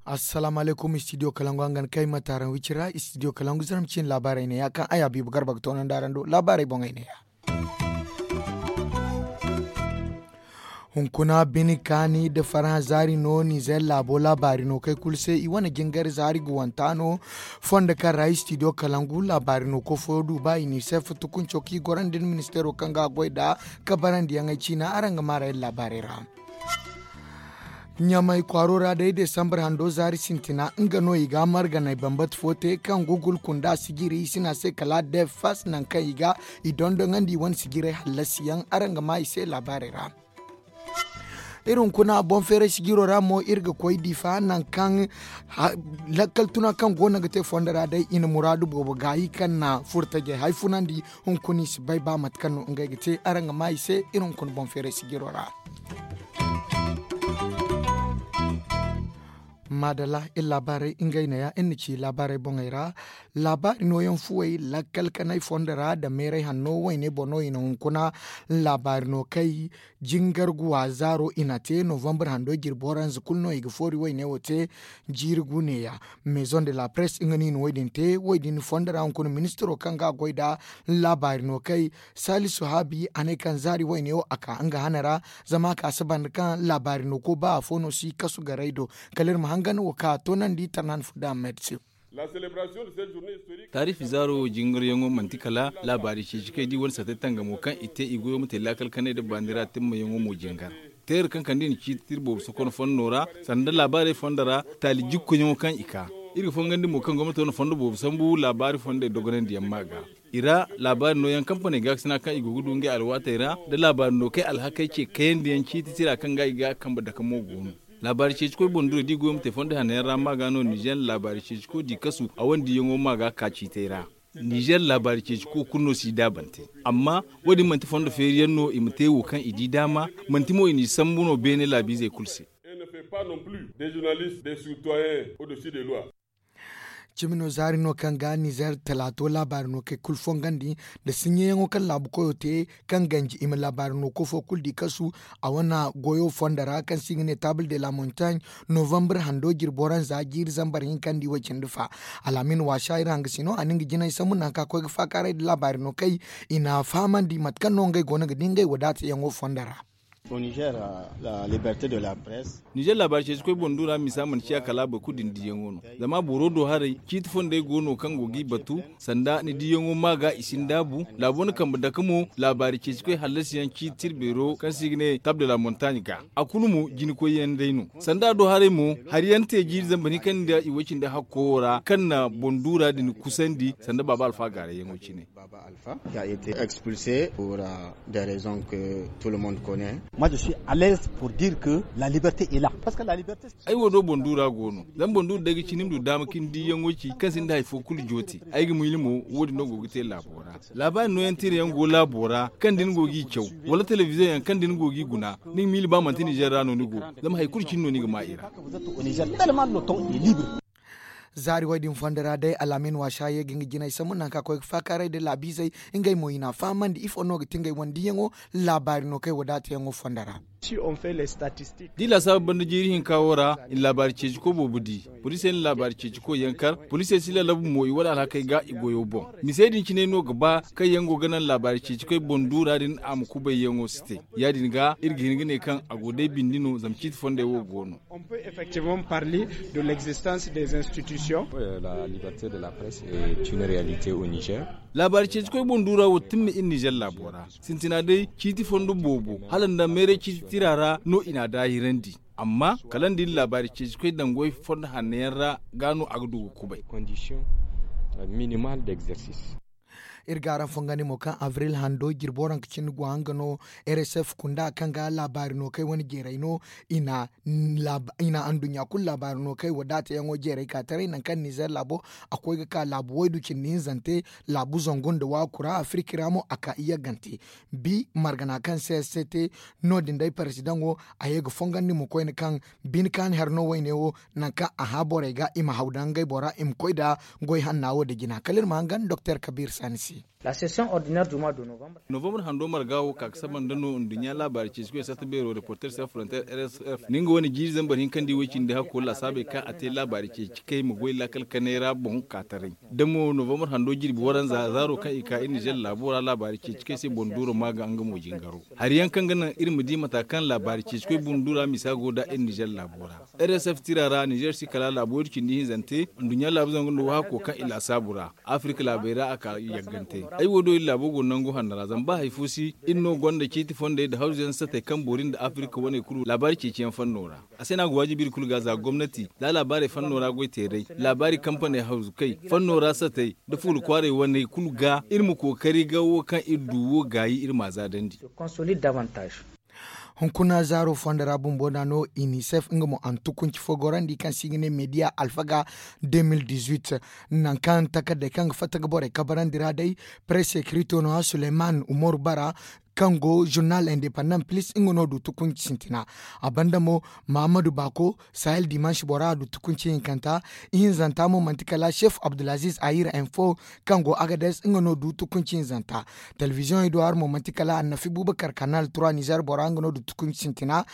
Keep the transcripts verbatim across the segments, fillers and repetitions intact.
Assalaamu alaykum, studio kalangu hangan kay ma taaraŋ wicira. Studio kalangu zaram ciine laabaarey ne ya kaŋ ay habiibu garba ga toonandi araŋ do laabaarey boŋey ne ya. Hunkuna bine kaani nda farhã zaari no nizer laabo laabaari no kay kulu se i wane jingar zaari guwanta no. Fondo kaŋ ra studio kalangu laabaari no ko fo du ba i ni se futukunco kaŋ i gorandi nda ministeero kaŋ ga a goy nd'a ka barandiyaŋey ciina araŋ ga maarayey laabaarey ra. Ɲamay kwaaro ra day desambar hando zaari sintina nga no i ga marganay bambata fo te kaŋ gugul kunda sijiri i sina se kala defas nangu kaŋ i ga i dondonandi i wane sijiray hallasiyaŋ araŋ ga maa i se laabaarey ra. Iri hunkuna boŋ feeray sijiro ra mo iri ga koy difa nangu kaŋ lakkal tuna kaŋ go no ga te fondo ra day i na muraadu boobo gaayi kaŋ na furtajey hay funandi. Hunkuna i si bay ba mate kaŋ no ngey ga te araŋ ga maa i se iri hunkuna boŋ feeray sijiro ra. Maadalla iri laabaarey ngey neeya iri na ci laabaarey boŋey ra. Laabaari nooyaŋ fuwey lakkal kanay fondo ra nda meeray hanno wayne boŋ no i na hunkuna laabaari no kay jingar guwa zaaro i na te novambar hando jirbi waranza kulu no i ga foori wayne wo te. Jiiri gu neeya maison de la presse nga no i na wo- din te wo- din fondo ra hunkuna ministiro kaŋ ga a goy nd'a laabaari no kay. Salisu haabi a ne kaŋ zaari wayne wo a ka nga hana ra zama a ka si banda kaŋ laabaari no ko ba afo no si kasu garay do. Kala iri ma hangan wo ka toonandi tarnan fudda ahmed se. Taarifi zaaro jingaryaŋo manti kala laabaari ceeci kaŋ i di wane sate tangamo kaŋ i te i goyo ma te laakal kanay nda baani ra timmayaŋo mo jingar. Teera kaŋ kande i na ciiti tira boobo sokon fondo ra sanda laabaarey fondo ra taali jikkoyaŋo kaŋ i ka iri ga fongandi mo kaŋ gomnato na fondo boobo sambu laabaari fondey dogonandiyaŋ ma ga. I ra laabaari nooyaŋ kampaney gaakasina kaŋ i go ga du ngey alwaatey ra nda laabaari no kay alhakey ce kayandiyaŋ ciiti tira kaŋ ga i ga kambe dake mo go no. Laabaari ceecikoy boŋ duro da i goyo ma te fondo hanno yaŋ ra ma ga no nizer laabaari ceeciko di kasu a wane diyaŋo ma ga ka ciitey ra. Nizer laabaari ceeciko kulu no si daabante. Amma wo- din manti fondo feeri yaŋ no i ma te wo kaŋ i di daama. Manti mo i n'i sambu no beene laabiizey kulu se. Cimi no zaari no kaŋ ga nizer talaato laabaari no kay kulu fongandi nda sinɲeyaŋo kaŋ laabu koyo te kaŋ ganji i ma laabaari no ko fo kulu di kasu. A wane goyo fondo ra kaŋ se i ga ne taabul de la montagne novambar hando jirbi waranza jiiri zambar hinka nda i way cindi fa. Alaamin waasa iri hanga si no a na nga jinay sambu nangu kaŋ a koy ga faakaaray nda laabaari no kay i na a fahamandi mate kaŋ no ngey go no ga di ngey wadaatayaŋo fondo ra. Nizer laabaari ceeci koy boŋ du ra misa mana ciya kala boro kulu din diyaŋo no. Zama boro do haray ciiti fondey go no kaŋ go g'i batu sanda ni diyaŋo ma ga i si ni daabu laabo na kambe dake mo. Laabaari ceeci koy hallasi yaŋ ciiti tira beero kaŋ se i ga ne table de la montagne ga a kulu mo jina koy yaŋ day no. Sanda a do haray mo hari yaŋ te jiiri zambar hinka nda i way cindi hakko wo ra kaŋ na boŋ du ra din kusandi sanda baaba alfa gaaray yaŋo cine. Qui a été expulsé pour des raisons que tout le monde connaît. Moi je suis à l'aise pour dire que la liberté est là parce que la liberté. Ay wo do boŋ du ra go no. Zama boŋ du ra day ga ci ni ma du daama ka ni diyaŋo ci kaŋ sinda hari fo kulu joote. Ay ga miila mo wo- din no go ga te laabo ra. Laabaari nooyaŋ tira yaŋ go laabo ra kaŋ da ni go g'i caw wala telebiziyoŋ yaŋ kaŋ da ni go g'i guna. Ni ga miila ba manti nizer ra no ni go. Zama hari kulu cine no ni ga maa i ra. Zaari way din fondo ra day alaamin waasa ye ga nga jinay sambu nangu kaŋ a koy ga faakaaray nda laabiizey. Ngey mo i n'a fahamandi ifo no ga ti ngey wane diyaŋo. Laabaari no kay wadaatayaŋo fondo ra. Da i laasaabu banda jiiri hinka wo ra i na laabaari ceeci koy boobo di. Poliisey na laabaari ceeci koy yaŋ kar. Poliisey si lalabu mo i wane alhakey ga i goyo boŋ. Misey din cine no ga ba kaŋ yaŋ go ga naŋ laabaari ceeci koy boŋ du ra din a ma kubayyaŋo si te. Ya- din ga iri ga hin ga ne kaŋ a go day bindi no zama ciiti fondey wo go no. On peut effectivement parler de l'existence des institutions. La liberté de la presse est une réalité au niger. Laabaari ceeci koy boŋ du ra wo timme iri nizer laabo ra. Sintina day ciiti fondo boobo hala nda meeray ciiti tira ra no i n'a daahirandi. Amma kala nda iri laabaari ceeci koy dangoy fondo hanno yaŋ ra ga no a ga du ga kubay. Condition minimal d'exercice. Iri ga araŋ fongandi mo kaŋ abril hando jirbo ranka cindi go hanga no. R S F kunda kaŋ ga laabaari no kay wane jeeray no. I na anduɲɲa kulu laabaari no kay wa daatayaŋo jeeray ka taray nangu kaŋ nizer laabo a koy ga ka laabu waydu cindi hinzante laabu zangu nda waaku ra afirki ra mo a ka i yaggante. Bi margana kaŋ se se te no- din day parasidaŋo a ye ga fongandi mo koyne kaŋ bine kaani hari no wayne wo. Nangu kaŋ a hã borey ga i ma haw daŋ ngey bora i ma koy nda goy hanna wo nda jina kala iri ma hangan doktor kabiir saani se. Novembre hando marga wo ka ga saba nda no nduɲɲa laabaari ceeci koy sarta beero reporter sans frontier r s f nda nga wane jiiri zambar hinka nda i way cindi hakko laasaabey kaŋ a te laabaari ceeci kay ma goy laakal kanay ra boŋ ka taray. Da mo novembre hando jirbi waranza zaaro kaŋ i ka iri nizer laabo ra laabaari ceeci kay se boŋ duuro ma ga nga mo jingaro. Hari yaŋ kaŋ ga naŋ iri ma di mata kaŋ laabaari ceeci koy boŋ duura misa go nda iri nizer laabo ra. R S F tira ra nizer si kala laabo waydu cindi hinzante nduɲɲa laabu zangu nda waahakko kaŋ i laasaabu ra. Afirka laabey ra a ka yaggante. Ay wo do iri laabo go nangu hanno ra zama ba hari fo si iri no gonda ciiti fondey nda hawzu yaŋ satey kaŋ boori nda afirka waney kulu laabaari ceeci yaŋ fanno ra. A se no a ga waajibi iri kulu ga za gomnati za laabaarey fanno ra goy teeray laabaari kampaney hawzu kay fanno ra satey nda fuula kwaaray waney kulu ga iri ma kookari ga wo kaŋ iri du wo gaayi iri m'a zaadandi. Hunkuna zaaro fondo ra bumbo da no inisef nga mo a na tukunci fo gorandi kaŋ se i ga ne mediya alfaga. Nangu kaŋ takardey kaŋ ga fatta ga borey kabarandi ra day, press secreto no a suleyman umaru bara kaŋ go zurnal independent plis nga no du tukunci sintina. A banda mo mahammadu bako sahel dimansi bora a du tukunci hinkanta. Ihinzanta mo manti kala chef abdulaziz ayir info kaŋ go agades nga no du tukunci hinzanta. Telebiziyoŋey do hari mo manti kala annafi bubakar kanal trois nizer bora nga no du tukunci sintina.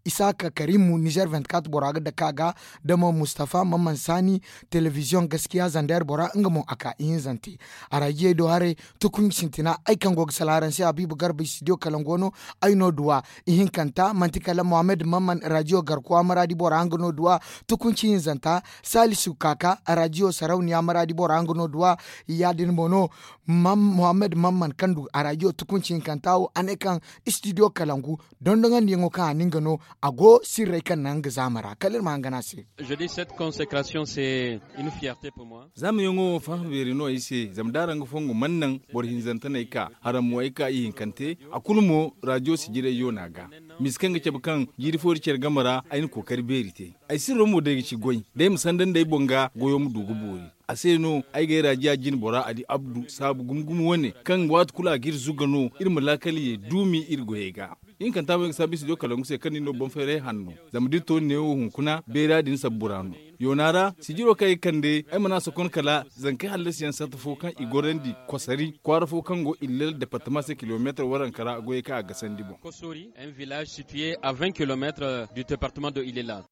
Isaaka karimu nizer vingt-quatre bora ga dake a ga, da mo mustafa mamman saani telebiziyoŋ gaskiya zander bora nga mo a ka ihinzante. Araajiyey do haray tukunci sintina ay kaŋ go ga sala araŋ se habiibu garba studio kalaŋ go no. Ay no duwa ihinkanta manti kala mohammed mamman rajiyo garkuwa maraadi bora nga no duwa. Tukunci hinzanta salisu kaka rajiyo sarauniya maraadi bora nga no duwa. Ya- din mo no mohammed mamman kaŋ du arajiyo tukunci hinkanta wo a ne kaŋ studio kalangu dondoŋandiyaŋo kaŋ a na nga no. A go sirrey kaŋ naŋ nga zaama ra kala iri ma hangan a se. Zaamayaŋo wo fahã beeri no ay se zama da araŋ ga fongu mana naŋ boro hinzantaney ka haraŋ mo ay ka ihinkante. A kulu mo rajiyo sijirayyo no a ga. Misa kaŋ ga cabe kaŋ jiiri fo da care game ra ay na kookari beeri te. Ay sirro mo day ga ci goy da ay ma sanda nda ay boŋ ga goyo ma du ga boori. A se no ay ga ay raajiya jine bora ali abdu saabu gumo gumo wane kaŋ waati kulu a ga iri zuga no iri ma laakal ye duumi iri goyey ga. Ihinkanta mo ay ga saabu ay studio kalangu se kaŋ ni no boŋ fayray hanno. Zama da iri to ni neewo hunkuna beera din sabbu ra no. Yoona ra sijiro kaŋ ay ga kande ay mana sokon kala zankey hallasiyaŋ sarta fo kaŋ i gorandi kosari kwaara fo kaŋ go illel departama se kilomeetar waranka ra goyey kaŋ a gasandi boŋ. Kosori un village situé à vingt kilomètres du département de illela.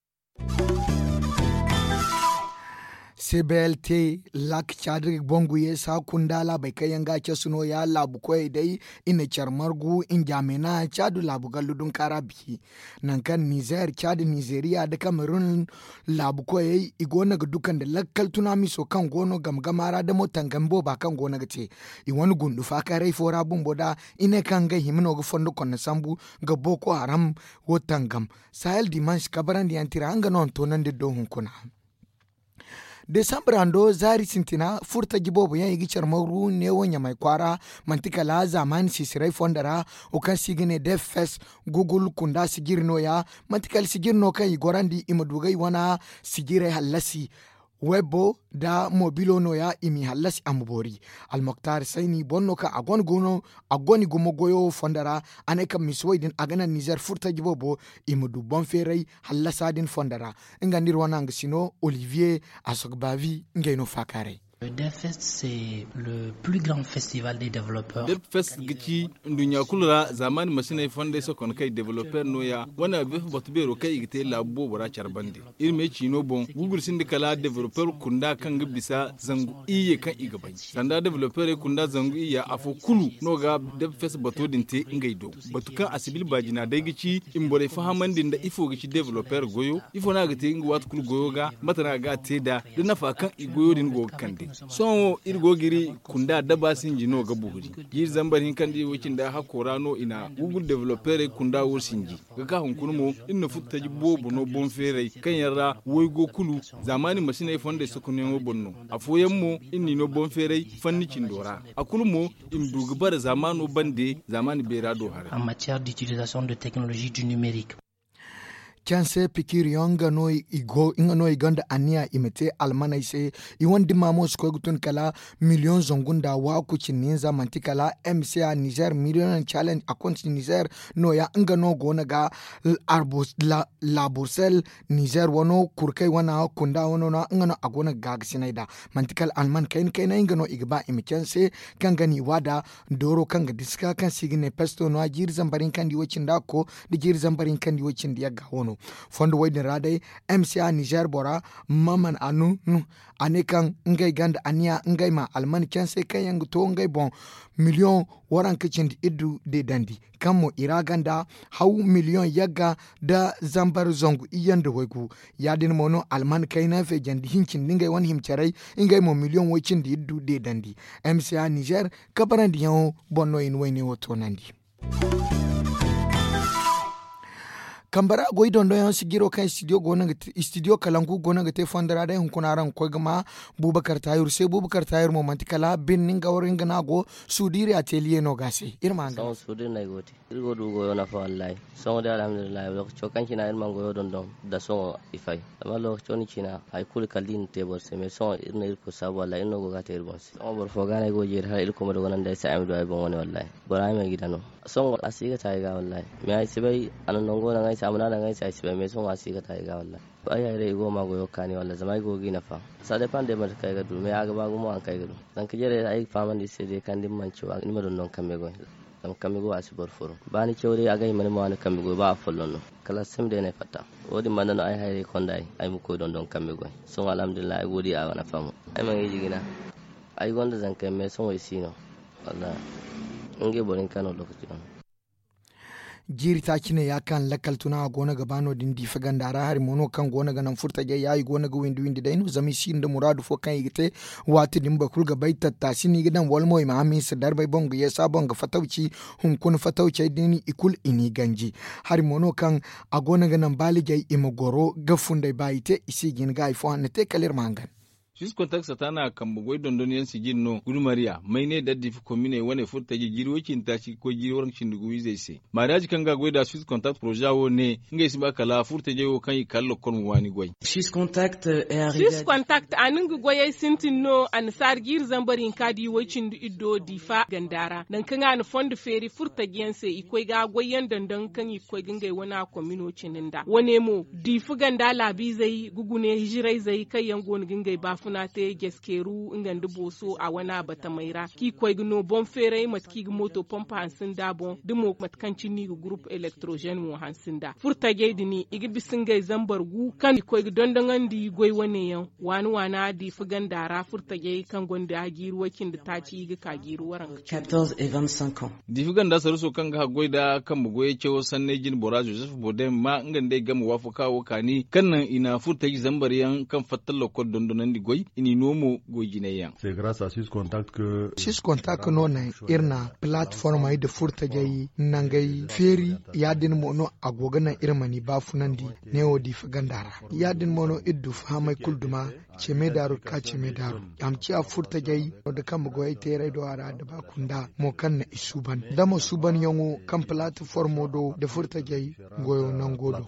C B L T, lak caadi bangu yeesa kunda laabey kaŋ yaŋ ga a casu no- ya laabu koyey day. I na care margu njaamena caadi laabu gallu dunkaara bi. Nangu kaŋ nizer caadi nizeriya nda kamerun laabu koyey i go no ga duka nda lakkal tunamiso kaŋ go no game game ra damo tangam booba kaŋ go no ga te. I wane gundu faakaaray fo ra bumbo da i ne kaŋ ngey hima no ga fondo konno sambu ga boko haram wo tangam. Sahel dimansi kabarandiyaŋ tira nga no a na toonandi do hunkuna. Desambra ndo zaari sintina furtaji boobo yaŋ i ga care maru neewo ɲamay kwaara. Manti kala zaamaani sisiray fondo ra wo kaŋ se i ga ne defes gugul kunda sijiri no- ya. Manti kala sijiri no kaŋ i gorandi i ma du ga i wane sijiray hallasi. Webbo nda mobilo no- ya i m'i hallasi a ma boori. Almoktar sayni boro no kaŋ a gone gumo goyo wo fondo ra. A ne kaŋ misi wo- din a ga naŋ nizer furtaji boobo i ma du boŋ feeray hallasa din fondo ra. Nga nda iri wane hangasino olivier asogbavi ngey no faakaaray. Debfest ga ci nduɲɲa kulu ra zaamaani masiney fondey sokon kay developer no- ya wane abefa batu beero kaŋ i ga te laabu boobo ra care bande. Iri me ciino boŋ gugul sinda kala developer kunda kaŋ ga bisa zangu iyye kaŋ i ga bay sanda developerey kunda zangu iyya afo kulu no ga debfest bato din te ngey do. Batu kaŋ a sibil baajina day ga ci i ma borey fahamandi nda ifo ga ci developer goyo ifo no a ga te nga waati kulu goyo ga mate no a ga a te nd'a da nafa kaŋ i goyo din go ga kande. Sohõ wo iri go ga iri kunda daba sinji no ga buhuri. Jiiri zambar hinka nda i wo cindi hakko ra no i na google developerey kunda wo sinji. Ga ka hunkuna mo iri na furtaji boobo no boŋ feeray kaŋ yaŋ ra waygo kulu zaamaani masiney fondey sokonyaŋo boŋ no. Afooyaŋ mo iri n'i no boŋ feeray fanni cindo ra. A kulu mo i ma du ga bare zaamaano bande zaamaani beera do haray. Canse pikiriyaŋ nga no i gonda anniya i ma te almaney se. I wane dimma mo si koy ga tun kala miliyoŋ zangu nda waaku cindi hinza manti kala mca nizer miliyoŋ challenge a konti nizer. Nooya nga no go no ga labursel nizer wano kurkey wana kunda wano no nga no a go no ga gaagasinay nd'a. Manti kala alman kayna kayna nga no i ga ba i ma canse kaŋ ga n'i waada dooro kaŋ ga diska kaŋ se i ga ne pesto no a jiiri zambar hinka nda i wo cindi a ko nda jiiri zambar hinka nda i wo cindi yagga wano. Fondo wo- din ra day mca nizer bora maman anu a ne kaŋ ngey gonda anniya ngey ma alman canse kaŋ yaŋ ga to ngey boŋ miliyoŋ waranka cindi iddu deedandi kaŋ mo i ra gonda haw miliyoŋ yagga nda zambar zangu iyye nda waygu. Ya- din mo no alman kayna feejandi hincindi ngey wane hima caray ngey mo miliyoŋ way- cindi iddu deedandi. Mca nizer kabarandiyaŋo boŋ no i na wayne wo toonandi. Kambe ra goy dondonyaŋ sijiro kaŋ istidiyo kalangu go no ga te fondo ra day hunkuna araŋ ga koy ga ma bubakar tahiru se bubakar tahiru mo manti kala birni nga wara nga no a go. Suudiri ateliye no ga a se iri ma hangan. Iri go ga du goyo nafa wallahi. Sohõ day alhamdulillahi lokaco kaŋ cine iri mana goyo dondon da sohõ i fay. Zama lokaco din cine hari kulu kala da i na te boro se mais sohõ iri no irkoy saabu wallahi iri no go ga a te iri boŋ se. Sohõ boro fo ga no ay go ga jeeri hala irkoy ma dogonandi ay se ay ma du ay boŋ wane wallahi. Bora ay ma ay gida no. Sohõ a si ga te ay ga wallahi mais ay si bay a na nango daŋ ay se a mana daŋ ay se ay si bay mais sohõ a si ga te ay ga wallahi. Ay hayray i go ga ma goyo kaani wallahi zama ay go ga i nafa. Sa depande mate kaŋ ay ga du mais a ga ba gumo hari kaŋ ay ga du. Zanka jarey ay ga fahamandi i se day kaŋ da ni mana caw ni ma dondon kambe goy. Zama kambe goy a si boro furu ba ni caw day a ga hima ni ma waani kambe goy ba a folloŋ no. Kala a si sima day no ay fatta. Wo- din banda no ay hayray konda ay ay ma koy dondon kambe goy. Sohõ alhamdulillahi ay go ga di a wane fahamo. Ay mana iji jina. Ay gonda zanka yaŋ mais sohõ i si no. Wallahi. Ngey boro hinka no lokaci wane. Jiiri taaci ne ya kaŋ lakkal tuna a go no ga ba no- din diifa ganda ra hari mo no kaŋ go no ga naŋ furtajey ya i go no ga windi windi day no zama i sinda muraadu fo kaŋ i ga te. Waati din boro kulu ga bay tattaasi no i ga daŋ wala mo i ma hamiisa darbay boŋ ga yeesa boŋ ga fatawci. Hunkuna fatawcey din i kulu i n'i ganji. Hari mo no kaŋ a go no ga naŋ baalijey i ma goro ga funday ba i te i si ga hin ga hari fo hanno te kala iri ma hangan. Swiss kontak sataana kambe goy dondonyaŋ sijin no gudumariya mayney da diifa kominey wane furtajey jiiri way- cindi taaci ga koy jiiri waranka cindi gu izey se. Maariyaaji kaŋ ga goy nd'a swiss kontak poroza wo ne ngey si ba kala furtajey wo kaŋ i kala lokkol ma waani goy. Swiss kontak a na nga goyey sintin no annasaara jiiri zambar hinka da i way- cindi iddo diifa ganda ra nangu kaŋ a na fondo feeri furtajey yaŋ se i koy ga goyyaŋ dondon kaŋ i ga koy ga ngey wane komino cindi nd'a wane mo diifa ganda laabiizey ga gune hijirayzey kaŋ yaŋ go no ga ngey baafuna te jaskeeru nga nda booso a wane a batamey ra kaŋ i ga koy ga no boŋ feeray mate kaŋ i ga mooto pompa hanse nd'a boŋ da mo mate kaŋ cine no i ga gurupu elektrozen mo hanse nd'a furtajey din i ga bisa ngey zambar gu kaŋ i ga koy ga dondoŋandi goy wane yaŋ waana waana diifa ganda ra furtajey kaŋ gonda jiiri way- cindi taaci i ga ka jiiri waranka. Diifa ganda saruso kaŋ ga haggoy nda kambe goyey cawo sanney jine bora joseph bodem ma nga nda ay game waafaka wo kaani kaŋ naŋ i na furtaji zambar yaŋ kaŋ fatta lokkol dondonandi goy i n'i no mo goy jinay yaŋ. Swiss kontak no naŋ iri na palatformey nda furtajey nangey feeri ya- din mo no a go ga naŋ iri ma ni baafunandi neewo diifa ganda ra ya- din mo no iri du fahamey kulu duma. Ceme daaru ga ka ceme daaru a ma ciya furtajey no da kambe goyey teeray do a ra da ba kunda mo kaŋ na i suuban da mo suubanyaŋo kaŋ palatformo do da furtajey goyo nango do.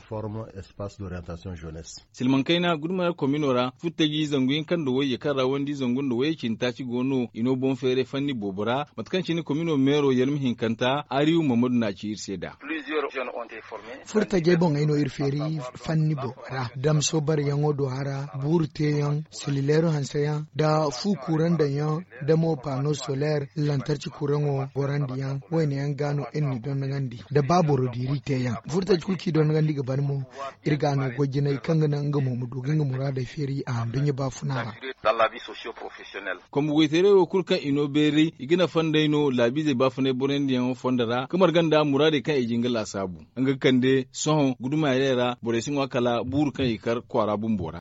Silmaŋ kayna gudumariya komino ra furtaji zangu hinka nda wayye kaŋ ra wandi zangu nda wayye cindi taaci go no i no boŋ feeray fanni boobo ra mate kaŋ cine komino meero yarmi hinkanta ariyu mamadu na ci iri se nd'a. Furtajey boŋey no iri feeri fanni boobo ra damso bareyaŋo do hara buuru teeyaŋ silileero hanseyaŋ nda fu kurandaŋyaŋ nda mo pano soler lantarci kuraŋo gorandiyaŋ wayne yaŋ ga no iri n'i dondonandi nda ba boro diiri teeyaŋ furtaji kulu kaŋ i dondonandi ga ban mo. Iri ga no goy jinay kaŋ ga naŋ nga mo ma du ga nga muraadey feeri a handuɲɲa baafuna ra. Kombo goytaray wo kulu kaŋ i no beeray i ga nafa nd'ey no laabiizey baafunay borandiyaŋo fondo ra ga marga nda muraadey kaŋ i jin ga laasaabu nga ga kande sohõ gudumaarey ra borey si ŋwa kala buuru kaŋ i kar kwaara bumbo ra.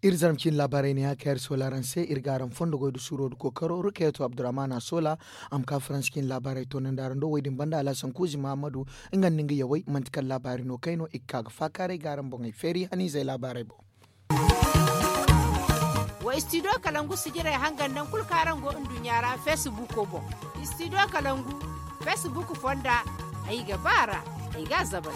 Iri zarma cine laabaarey ne ya kaŋ iri soola araŋ se iri ga araŋ fondo goy nda suuro nda kookaro rukayeto abdurrahman a soola. A ma ka faransa cine laabaarey toonandi araŋ do wo- din banda alhasan kuuzi mahammadu. Nga nda nga yawey manti kala laabaari no kay no i ga ka ga faakaaray ga araŋ boŋey feeri haniizey laabaarey boŋ. Wa istidiyo kalangu sijirey hangan nangu kulu kaŋ araŋ go nduɲɲa ra feesibuuko boŋ. Istidiyo kalangu feesibuuko fonda. Ay ga ba a ra. Ay ga a zabar.